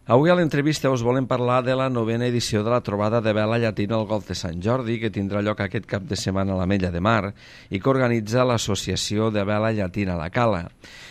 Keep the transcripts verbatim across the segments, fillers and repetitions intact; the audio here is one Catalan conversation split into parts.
Avui a l'entrevista us volem parlar de la novena edició de la trobada de vela llatina al Golf de Sant Jordi, que tindrà lloc aquest cap de setmana a l'Ametlla de Mar i que organitza l'Associació de Vela Llatina La Cala.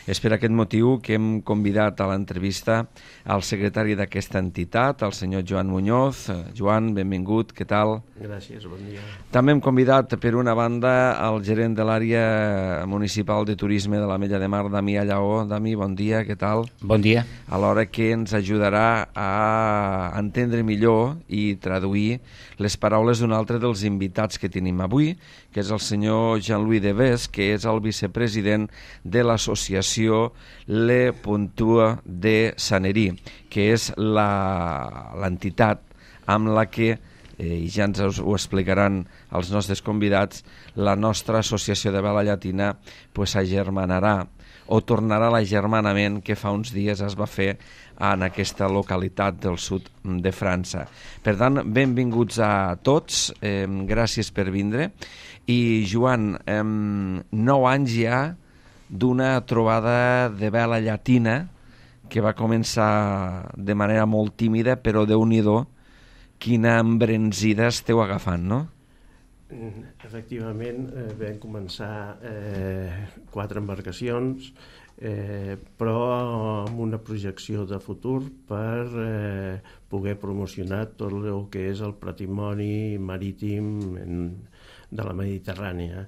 És per aquest motiu que hem convidat a l'entrevista al secretari d'aquesta entitat, el senyor Joan Muñoz. Joan, benvingut, què tal? Gràcies, bon dia. També hem convidat, per una banda, el gerent de l'àrea municipal de turisme de l'Ametlla de Mar, Damià Lleó. Dami, bon dia, què tal? Bon dia. Alhora que ens ajudarà a entendre millor i traduir les paraules d'un altre dels invitats que tenim avui, que és el senyor Jean-Louis Deves, que és el vicepresident de l'associació Le Puntua de Sanerí, que és l'entitat amb la que, eh, i ja ens ho explicaran els nostres convidats, la nostra associació de vela llatina pues, agermanarà o tornarà a l'agermanament que fa uns dies es va fer en aquesta localitat del sud de França. Per tant, benvinguts a tots, eh, gràcies per vindre. I Joan, eh, nou anys ja d'una trobada de vela llatina que va començar de manera molt tímida, però déu-n'hi-do, quina embranzida esteu agafant, no? Efectivament, eh, vam començar eh, quatre embarcacions, eh, però amb una projecció de futur per eh, poder promocionar tot el que és el patrimoni marítim en, de la Mediterrània.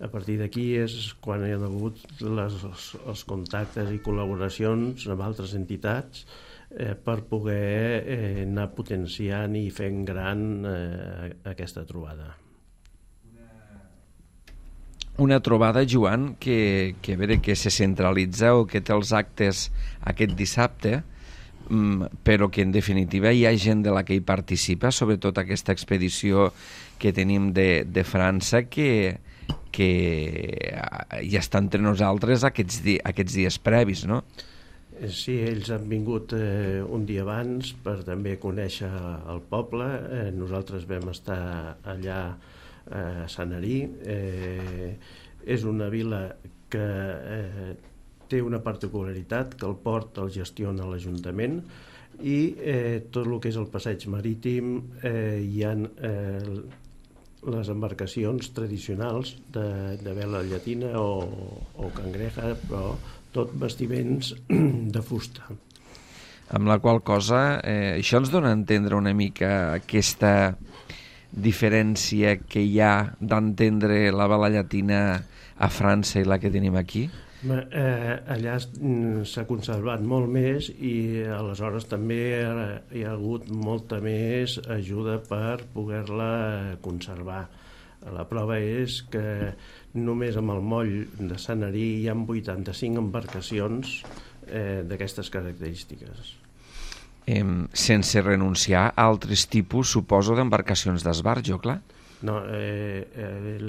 A partir d'aquí és quan hi ha hagut les, els, els contactes i col·laboracions amb altres entitats eh, per poder eh, anar potenciant i fent gran eh, aquesta trobada. Una trobada, Joan, que, que, veure, que se centralitza o que té els actes aquest dissabte, però que en definitiva hi ha gent de la que hi participa, sobretot aquesta expedició que tenim de, de França, que, que ja està entre nosaltres aquests, di, aquests dies previs, no? Sí, ells han vingut eh, un dia abans per també conèixer el poble. Eh, nosaltres vam estar allà a Sanerí. Eh, és una vila que eh, té una particularitat, que el port el gestiona l'Ajuntament i eh, tot el que és el passeig marítim eh, hi ha eh, les embarcacions tradicionals de, de vela llatina o, o cangreja, però tot vestiments de fusta. Amb la qual cosa, eh, això ens dona a entendre una mica aquesta diferència que hi ha d'entendre la vela llatina a França i la que tenim aquí? Eh, allà s'ha conservat molt més i aleshores també hi ha hagut molta més ajuda per poder-la conservar. La prova és que només amb el moll de Sanerí hi ha vuitanta-cinc embarcacions eh, d'aquestes característiques. Eh, sense renunciar a altres tipus, suposo, d'embarcacions d'esbarjo, clar? No, eh, el,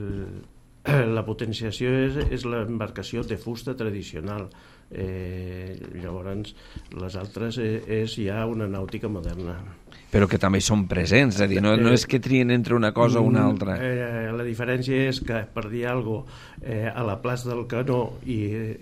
la potenciació és, és l'embarcació de fusta tradicional. Eh, llavors, les altres és, és ja una nàutica moderna. Però que també són presents, és a dir, no, no és que trien entre una cosa o una altra. Eh, la diferència és que, per dir alguna cosa, eh, a la plaça del Canó i,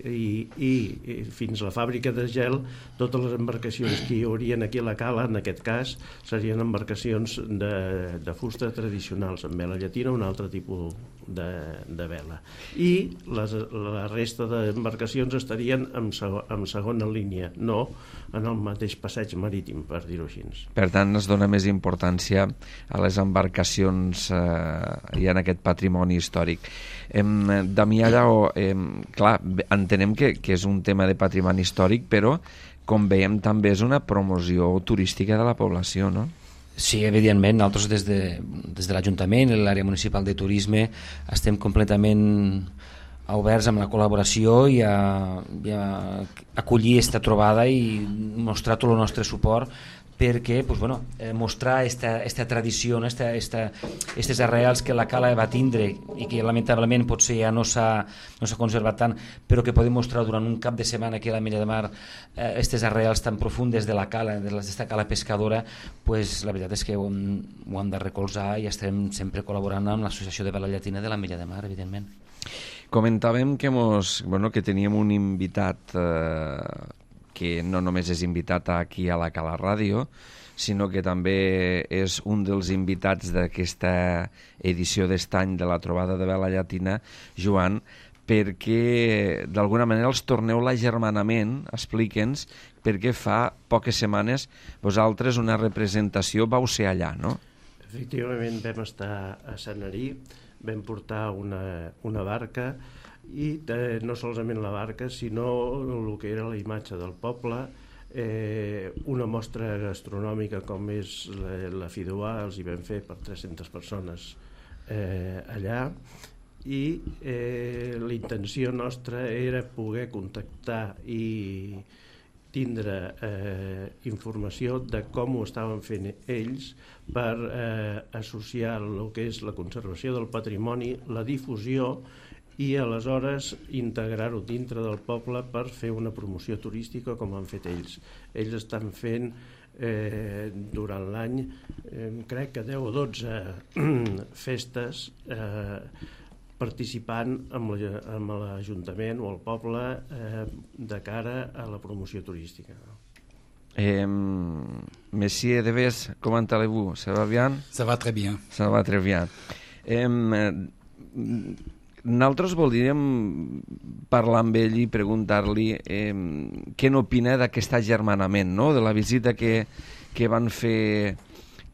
i, i, i fins a la fàbrica de gel, totes les embarcacions que hi haurien aquí a la Cala, en aquest cas, serien embarcacions de, de fusta tradicionals, amb vela llatina, un altre tipus de, de vela. I les, la resta d'embarcacions estarien en, en segona línia, no en el mateix passeig marítim, per dir-ho així. Per tant, es dona més importància a les embarcacions eh, i en aquest patrimoni històric. Eh, Damià Lleó, eh, clar, entenem que, que és un tema de patrimoni històric, però, com veiem, també és una promoció turística de la població, no? Sí, evidentment, nosaltres des de, des de l'Ajuntament i l'àrea municipal de turisme estem completament oberts amb la col·laboració i a, i a acollir aquesta trobada i mostrar tot el nostre suport perquè pues, bueno, eh, mostrar aquesta tradició, aquestes arrels que la Cala va tindre i que lamentablement potser ja no s'ha no s'ha conservat tant, però que podem mostrar durant un cap de setmana aquí a l'Ametlla de Mar aquestes eh, arrels tan profundes de la Cala, d'aquesta Cala pescadora, pues, la veritat és que ho hem, ho hem de recolzar i estem sempre col·laborant amb l'Associació de Vela Llatina de l'Ametlla de Mar, evidentment. Comentàvem que, mos, bueno, que teníem un invitat eh, que no només és invitat aquí a la Cala Ràdio, sinó que també és un dels invitats d'aquesta edició d'estany de la trobada de vela llatina, Joan, perquè d'alguna manera els torneu l'agermanament, explica'ns, perquè fa poques setmanes vosaltres una representació vau ser allà, no? Efectivament vam estar a Sanary, vam portar una, una barca i eh, no solament la barca, sinó el que era la imatge del poble, Eh, una mostra gastronòmica com és la, la Fideuà, els hi vam fer per tres-centes persones eh, allà, i eh, la intenció nostra era poder contactar i tindre eh, informació de com ho estaven fent ells per eh, associar el que és la conservació del patrimoni, la difusió i aleshores integrar-ho dintre del poble per fer una promoció turística com han fet ells. Ells estan fent eh, durant l'any, eh, crec que deu o dotze festes eh, participant amb l'Ajuntament o el poble eh, de cara a la promoció turística. Eh, Monsieur Deves, comment allez-vous? Ça va bien? Ça va très bien. Ça va très bien. Eh, Nosaltres voldríem parlar amb ell i preguntar-li eh, què n'opina d'aquest agermanament, no? De la visita que, que, van fer,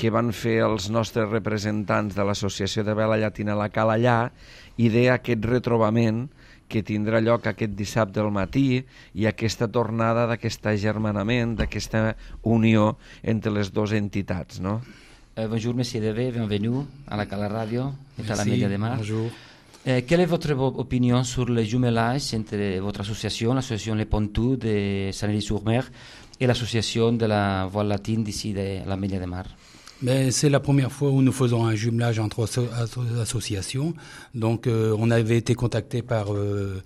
que van fer els nostres representants de l'Associació de Vela Llatina a la Cala allà i d'aquest retrobament que tindrà lloc aquest dissabte al matí i aquesta tornada d'aquest agermanament, d'aquesta unió entre les dues entitats, no? Euh, bonjour, Monsieur Deves, bienvenue à la Cala Radio et à la Média de Mar. Bonjour. Euh, quelle est votre opinion sur le jumelage entre votre association, l'association Les Pontous de Sanary-sur-Mer et l'association de la voile latine d'ici de la Média de Mar? Mais c'est la première fois où nous faisons un jumelage entre asso associations. Donc euh, on avait été contacté par euh,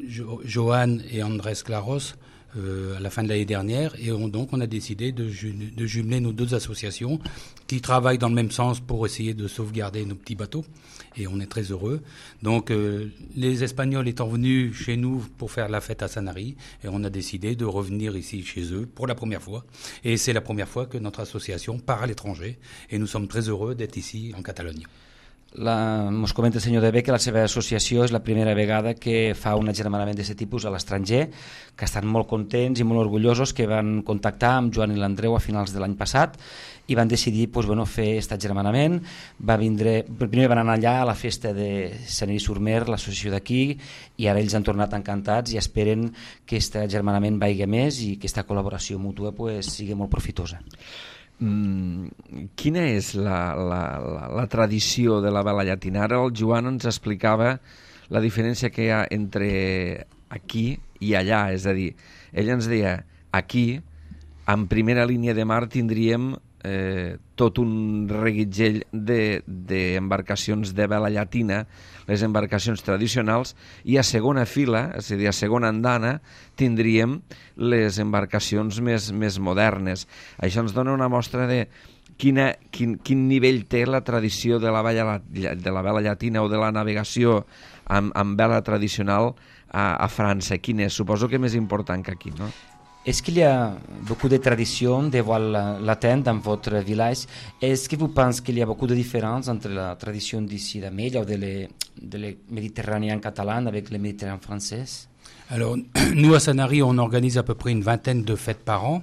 jo Johan et Andrés Claros euh, à la fin de l'année dernière et on, donc on a décidé de, ju de jumeler nos deux associations qui travaillent dans le même sens pour essayer de sauvegarder nos petits bateaux. Et on est très heureux. Donc euh, les Espagnols étant venus chez nous pour faire la fête à Sanary, et on a décidé de revenir ici chez eux pour la première fois. Et c'est la première fois que notre association part à l'étranger, et nous sommes très heureux d'être ici en Catalogne. La, mos comenta el senyor Deves que la seva associació és la primera vegada que fa un agermanament d'aquest tipus a l'estranger, que estan molt contents i molt orgullosos, que van contactar amb Joan i l'Andreu a finals de l'any passat i van decidir pues, bueno, fer aquest agermanament. Va vindre, primer van anar allà a la festa de Sanary-sur-Mer, l'associació d'aquí, i ara ells han tornat encantats i esperen que aquest agermanament vagi més i que aquesta col·laboració mútua pues, sigui molt profitosa. Mm, quina és la, la, la, la tradició de la vela llatina? Ara el Joan ens explicava la diferència que hi ha entre aquí i allà, és a dir, ell ens deia aquí, en primera línia de mar tindríem eh, tot un reguitzell d'embarcacions de, de vela llatina, les embarcacions tradicionals, i a segona fila, és a dir, a segona andana, tindríem les embarcacions més, més modernes. Això ens dona una mostra de quina, quin, quin nivell té la tradició de la, vela, de la vela llatina o de la navegació amb, amb vela tradicional a, a França. Quin és? Suposo que més important que aquí, no? Est-ce qu'il y a beaucoup de traditions de voile latin dans votre village? Est-ce que vous pensez qu'il y a beaucoup de différences entre la tradition d'ici d'Amélia ou de les, de les méditerranéens catalans avec les méditerranéens françaises? Alors, nous à Sanary, on organise à peu près une vingtaine de fêtes par an,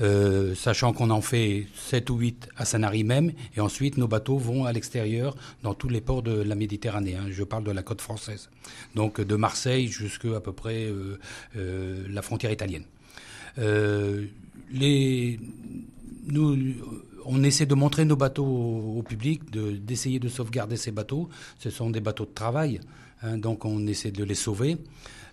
euh, sachant qu'on en fait sept ou huit à Sanary même, et ensuite nos bateaux vont à l'extérieur dans tous les ports de la Méditerranée. Hein. Je parle de la côte française, donc de Marseille jusqu'à à peu près euh, euh, la frontière italienne. Euh, les, nous, on essaie de montrer nos bateaux au, au public, de, d'essayer de sauvegarder ces bateaux. Ce sont des bateaux de travail, hein, donc on essaie de les sauver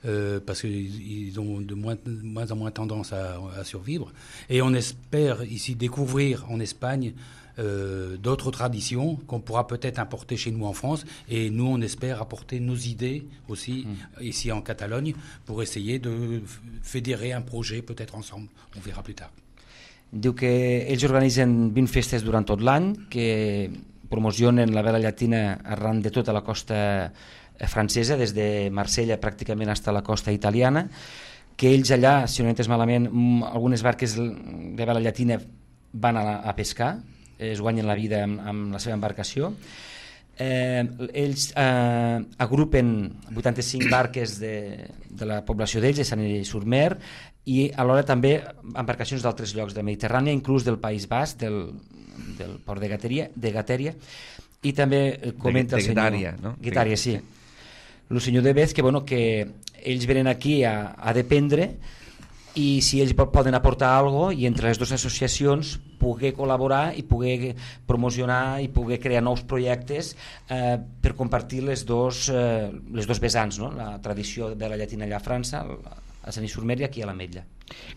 euh, parce qu'ils ont de moins, de moins en moins tendance à, à survivre. Et on espère ici découvrir en Espagne Euh, d'autres traditions qu'on pourra peut-être importer chez nous en France, et nous on espère apporter nos idées aussi mmh. ici en Catalogne pour essayer de fédérer un projet peut-être ensemble, on verra plus tard. Diu que ells organitzen vint festes durant tot l'any, que promocionen la vela llatina arran de tota la costa francesa, des de Marsella pràcticament fins a la costa italiana, que ells allà, si no he entès malament, algunes barques de vela llatina van a, a pescar, es guanyen la vida amb, amb la seva embarcació. Eh, ells eh, agrupen vuitanta-cinc barques de, de la població d'ells, de Sant Hilari-sur-Mer, i alhora també embarcacions d'altres llocs de la Mediterrània, inclús del País Basc, del, del port de Gatèria, de Gatèria, i també comenta de, de el senyor... Guitària, no? Guitària, sí. El senyor de Bez, que, bueno, que ells venen aquí a, a dependre, i si ells poden aportar alguna cosa, i entre les dues associacions poder col·laborar i poder promocionar i poder crear nous projectes eh, per compartir les dos, eh, les dos vessants, no? La tradició de la llatina allà a França, a Sant Hilari-sur-Mer i aquí a l'Ametlla.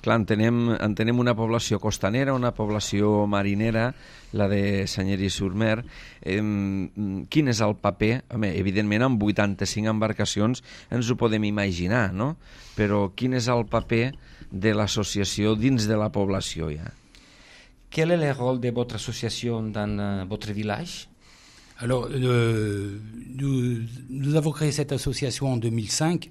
Clar, entenem, entenem una població costanera, una població marinera, la de Sant Hilari-sur-Mer. Eh, quin és el paper? Home, evidentment, amb vuitanta-cinc embarcacions ens ho podem imaginar, no? Però quin és el paper de l'associació dins de la població ja? Quel est le rôle de votre association dans euh, votre village? Alors, euh, nous, nous avons créé cette association en deux mille cinq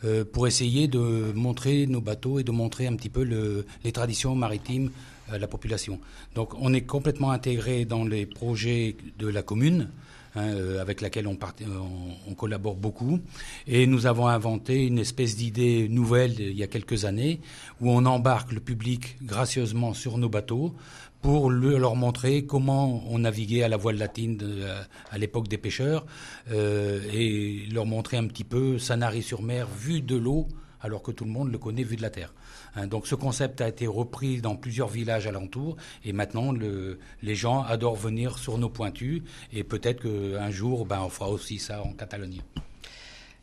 euh, pour essayer de montrer nos bateaux et de montrer un petit peu le, les traditions maritimes à la population. Donc, on est complètement intégré dans les projets de la commune, hein, euh, avec laquelle on, part, on, on collabore beaucoup. Et nous avons inventé une espèce d'idée nouvelle il y a quelques années où on embarque le public gracieusement sur nos bateaux pour le, leur montrer comment on naviguait à la voile latine de, à, à l'époque des pêcheurs euh, et leur montrer un petit peu Sanary-sur-Mer vu de l'eau alors que tout le monde le connaît vu de la terre. Hein, donc ce concept a été repris dans plusieurs villages alentours et maintenant le, les gens adorent venir sur nos pointus et peut-être qu'un jour ben, on fera aussi ça en Catalogne.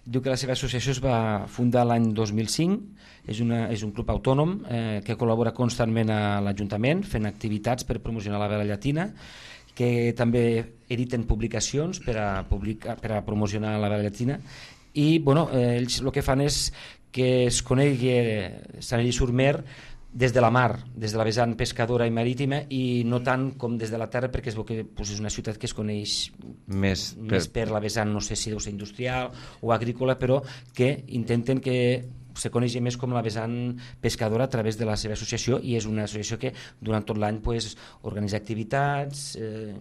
Diu que la seva associació es va fundar l'any dos mil cinc, és, una, és un club autònom eh, que col·labora constantment a l'Ajuntament fent activitats per promocionar la vela llatina, que també editen publicacions per a, publicar, per a promocionar la vela llatina i bueno, eh, ells el que fan és que es conegui Sant Hilari-sur-Mer des de la mar, des de la vessant pescadora i marítima i no tant com des de la terra perquè es veu que pues, és una ciutat que es coneix més per... més per la vessant, no sé si deu ser industrial o agrícola, però que intenten que se coneixi més com la vessant pescadora a través de la seva associació i és una associació que durant tot l'any pues, organitza activitats eh,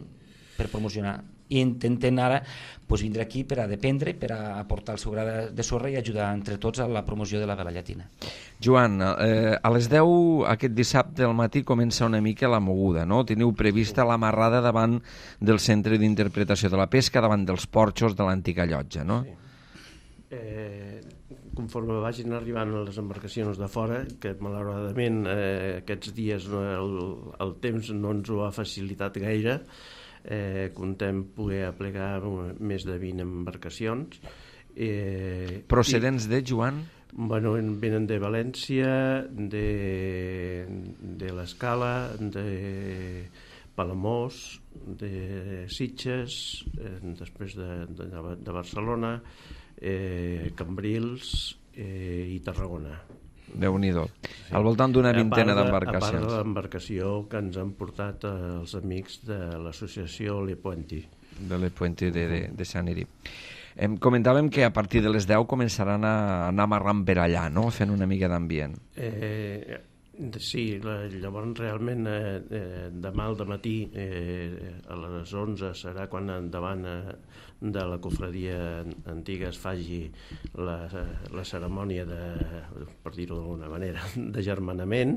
per promocionar i intenten ara pues, vindre aquí per a dependre, per a aportar el seu gra de sorra i ajudar entre tots a la promoció de la vela llatina. Joan, eh, a les deu aquest dissabte al matí comença una mica la moguda, no? Teniu prevista l'amarrada davant del centre d'interpretació de la pesca, davant dels porxos de l'antiga llotja, no? Sí. Eh, conforme vagin arribant les embarcacions de fora, que malauradament eh, aquests dies no, el, el temps no ens ho ha facilitat gaire, Eh, contem poder aplegar més de vint embarcacions. Eh, Procedents i, de, Joan? Bueno, venen de València, de, de l'Escala, de Palamós, de Sitges, eh, després de, de, de Barcelona, eh, Cambrils eh, i Tarragona. Déu-n'hi-do. Sí. Al voltant d'una vintena d'embarcacions. A part de l'embarcació que ens han portat els amics de l'associació Le Puenti. De Le Puenti de, de, de Sant Hilari. Em comentàvem que a partir de les deu començaran a anar amarrant per allà, no? Fent una mica d'ambient. Eh, sí, la, llavors realment eh, eh, demà al dematí eh, a les onze serà quan endavant eh, de la cofradia antiga es faci la, la cerimònia de, per dir-ho d'alguna manera, de germanament,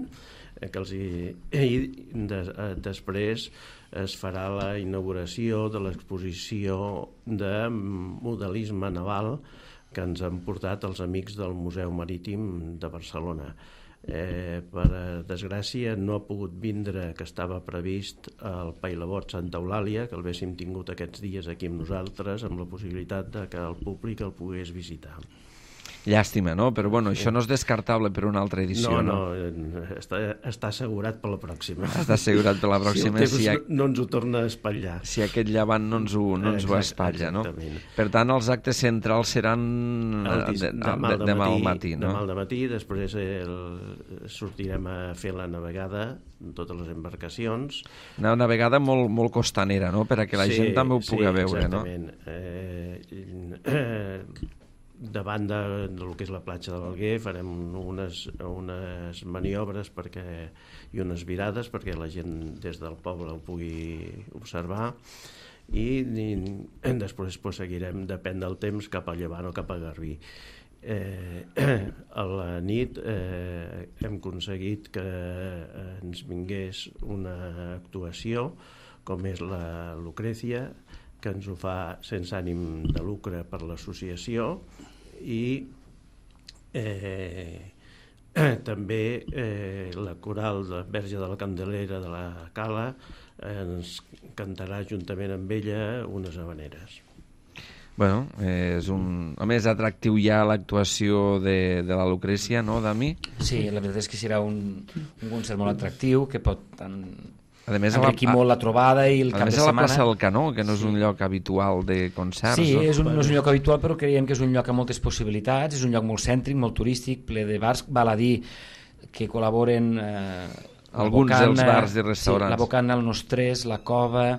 eh, que els hi, i de, eh, després es farà la inauguració de l'exposició de modelisme naval que ens han portat els amics del Museu Marítim de Barcelona. Eh, per desgràcia no ha pogut vindre, que estava previst el Pailabot Santa Eulàlia, que el haguéssim tingut aquests dies aquí amb nosaltres, amb la possibilitat de que el públic el pogués visitar. Llàstima, no? Però bueno, això no és descartable per una altra edició, no? No, no està, està assegurat per la pròxima. Està assegurat per la pròxima. Si el temps si ha... no ens ho torna a espatllar. Si aquest llevant no ens ho, no ens ho espatlla, no? Per tant, els actes centrals seran dis... de, de, demà, de, demà al matí, no? Demà al matí, després el... sortirem a fer la navegada en totes les embarcacions. Una navegada molt, molt costanera, no? Per a que la sí, gent també ho pugui sí, veure, exactament. No? Eh, eh, davant de, del que és la platja de l'Alguer farem unes, unes maniobres perquè, i unes virades perquè la gent des del poble ho pugui observar i, i després pues, seguirem, depèn del temps, cap a Llevant o cap a Garbí. Eh, a la nit eh, hem aconseguit que ens vingués una actuació com és la Lucrecia, que ens ho fa sense ànim de lucre per l'associació i eh, eh, també eh, la coral de Verge de la Candelera de la Cala eh, ens cantarà juntament amb ella unes habaneres. Bueno, eh, és un... A més, atractiu ja l'actuació de, de la Lucrècia, no, Dami? Sí, la veritat és que serà un, un concert molt atractiu que pot tant a més, enriquir la, molt la trobada i el cap de setmana. A més, a la plaça del Canó, que no és un lloc habitual de concerts. Sí, no? és un, no és un lloc habitual, però creiem que és un lloc amb moltes possibilitats, és un lloc molt cèntric, molt turístic, ple de bars, val a dir que col·laboren eh, alguns Bocana, dels bars i restaurants. Sí, la Bocana, el Nostrés, la Cova,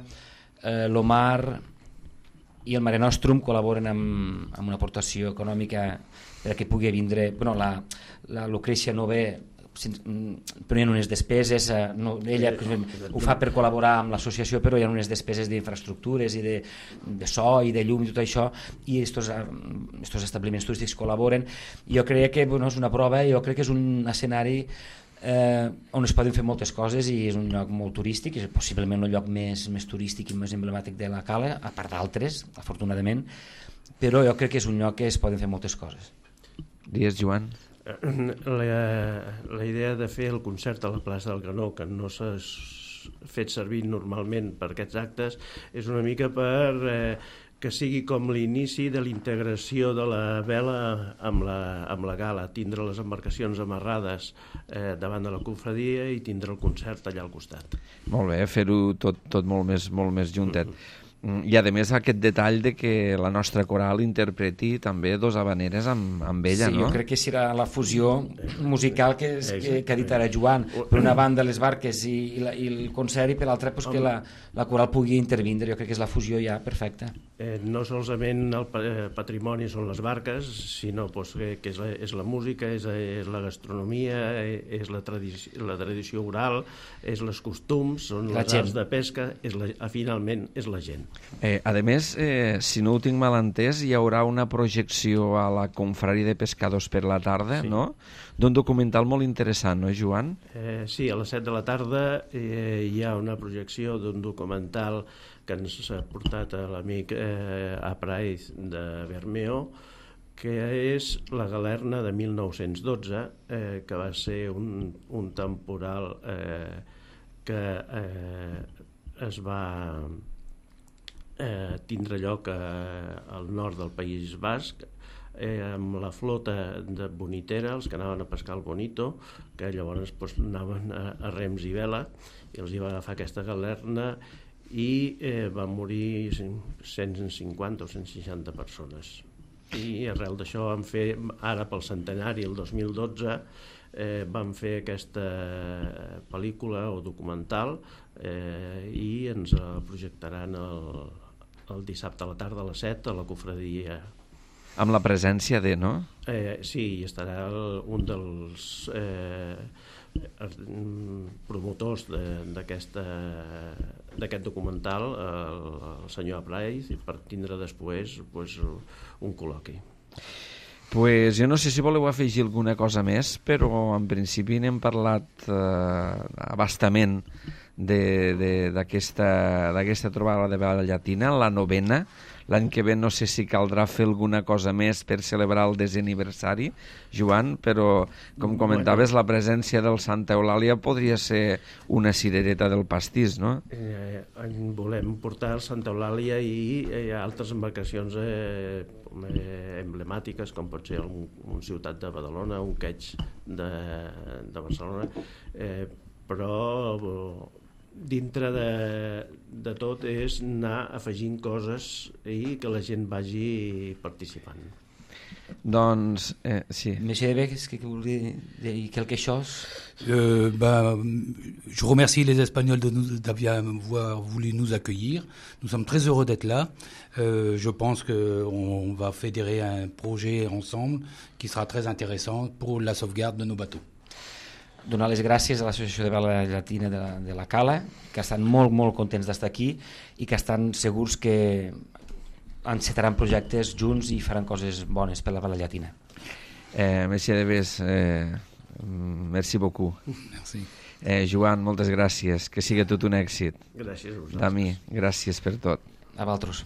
eh, l'Omar i el Mare Nostrum col·laboren amb, amb una aportació econòmica perquè pugui vindre... Bueno, la, la Lucrècia no ve... Prenien unes despeses, no, ella ho fa per col·laborar amb l'associació, però hi ha unes despeses d'infraestructures i de, de so i de llum i tot això, i aquests establiments turístics col·laboren. Jo crec que bueno, és una prova, jo crec que és un escenari eh, on es poden fer moltes coses i és un lloc molt turístic, és possiblement el lloc més, més turístic i més emblemàtic de la Cala, a part d'altres, afortunadament, però jo crec que és un lloc que es poden fer moltes coses. Dies, Joan? La, la idea de fer el concert a la plaça del Canó, que no s'ha fet servir normalment per aquests actes, és una mica per eh, que sigui com l'inici de l'integració de la vela amb la, amb la gala, tindre les embarcacions amarrades eh, davant de la confradia i tindre el concert allà al costat. Molt bé, fer-ho tot, tot molt més, molt més juntet. Mm-hmm. I a més aquest detall de que la nostra coral interpreti també dos habaneres amb, amb ella, sí, no? Jo crec que serà la fusió musical que, és, que, que ha dit ara Joan. Per una banda les barques i, i, la, i el concert i per l'altra pues, que la, la coral pugui intervindre. Jo crec que és la fusió ja perfecta. Eh, no solament el patrimoni són les barques, sinó pues, que, que és, la, és la música, és, és la gastronomia, és la tradició, la tradició oral, és els costums, són les arts de pesca, és la, finalment és la gent. Eh, a més, eh, si no ho tinc mal entès, hi haurà una projecció a la Confraria de Pescadors per la tarda, sí. No? D'un documental molt interessant, no, Joan? Eh, sí, a les set de la tarda eh, hi ha una projecció d'un documental que ens ha portat l'amic eh, Apraiz de Bermeo, que és la Galerna de mil nou-cents dotze, eh, que va ser un, un temporal eh, que eh, es va... Eh, tindre lloc eh, al nord del País Basc eh, amb la flota de Bonitera, els que anaven a pescar el Bonito, que llavors pues, anaven a, a rems i vela i els hi va agafar aquesta galerna i eh, van morir cent cinquanta o cent seixanta persones i arrel d'això vam fer ara pel centenari el dos mil dotze eh, vam fer aquesta pel·lícula o documental eh, i ens la projectaran el el dissabte a la tarda a les set a la confraria. Amb la presència de, no? Eh, sí, hi estarà el, un dels eh, promotors d'aquest documental, el, el senyor Apraiz, per tindre després pues, un col·loqui. Pues jo no sé si voleu afegir alguna cosa més, però en principi n'hem parlat eh, abastament d'aquesta trobada de vela llatina, la novena. L'any que ve no sé si caldrà fer alguna cosa més per celebrar el desè aniversari, Joan, però com comentaves, la presència del Santa Eulàlia podria ser una cirereta del pastís, no? Eh, volem portar el Santa Eulàlia i eh, altres embarcacions eh, emblemàtiques, com pot ser un, un Ciutat de Badalona, un Queig de, de Barcelona, eh, però dintre de, de tot és anar afegint coses i que la gent vagi participant. Doncs, eh, sí. Monsieur Deves, est-ce que vous voulez dire quelque chose? Euh, ben, je remercie les Espagnols de nous d'avoir voulu nous accueillir. Nous sommes très heureux d'être là. Euh, je pense qu'on va fédérer un projet ensemble qui sera très intéressant pour la sauvegarde de nos bateaux. Donar les gràcies a l'Associació de Vela Llatina de la, de la Cala, que estan molt, molt contents d'estar aquí i que estan segurs que encetaran projectes junts i faran coses bones per la Vela Llatina. Eh, Monsieur Deves, eh, merci beaucoup. Merci. Eh, Joan, moltes gràcies, que siga tot un èxit. Gràcies a vosaltres. Dami, gràcies per tot. A vosaltres.